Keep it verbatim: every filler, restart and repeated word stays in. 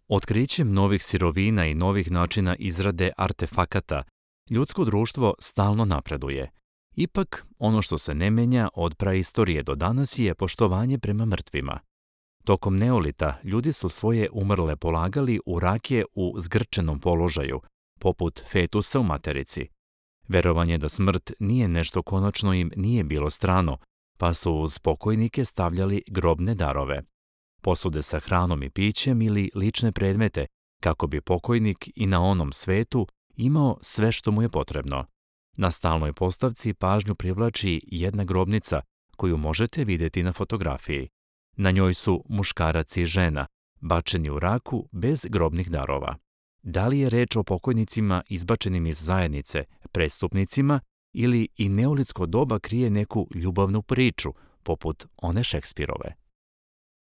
Otkrićem novih sirovina i novih načina izrade artefakata, ljudsko društvo stalno napreduje. Ipak, ono što se ne menja od praistorije do danas je poštovanje prema mrtvima. Tokom neolita ljudi su svoje umrle polagali u rakije u zgrčenom položaju, poput fetusa u materici. Verovanje da smrt nije nešto konačno im nije bilo strano, pa su uz pokojnike stavljali grobne darove. Posude sa hranom i pićem ili lične predmete, kako bi pokojnik i na onom svetu imao sve što mu je potrebno. Na stalnoj postavci pažnju privlači jedna grobnica koju možete vidjeti na fotografiji. Na njoj su muškarac i žena, bačeni u raku bez grobnih darova. Da li je reč o pokojnicima izbačenim iz zajednice, prestupnicima, ili i neolitsko doba krije neku ljubavnu priču, poput one Šekspirove?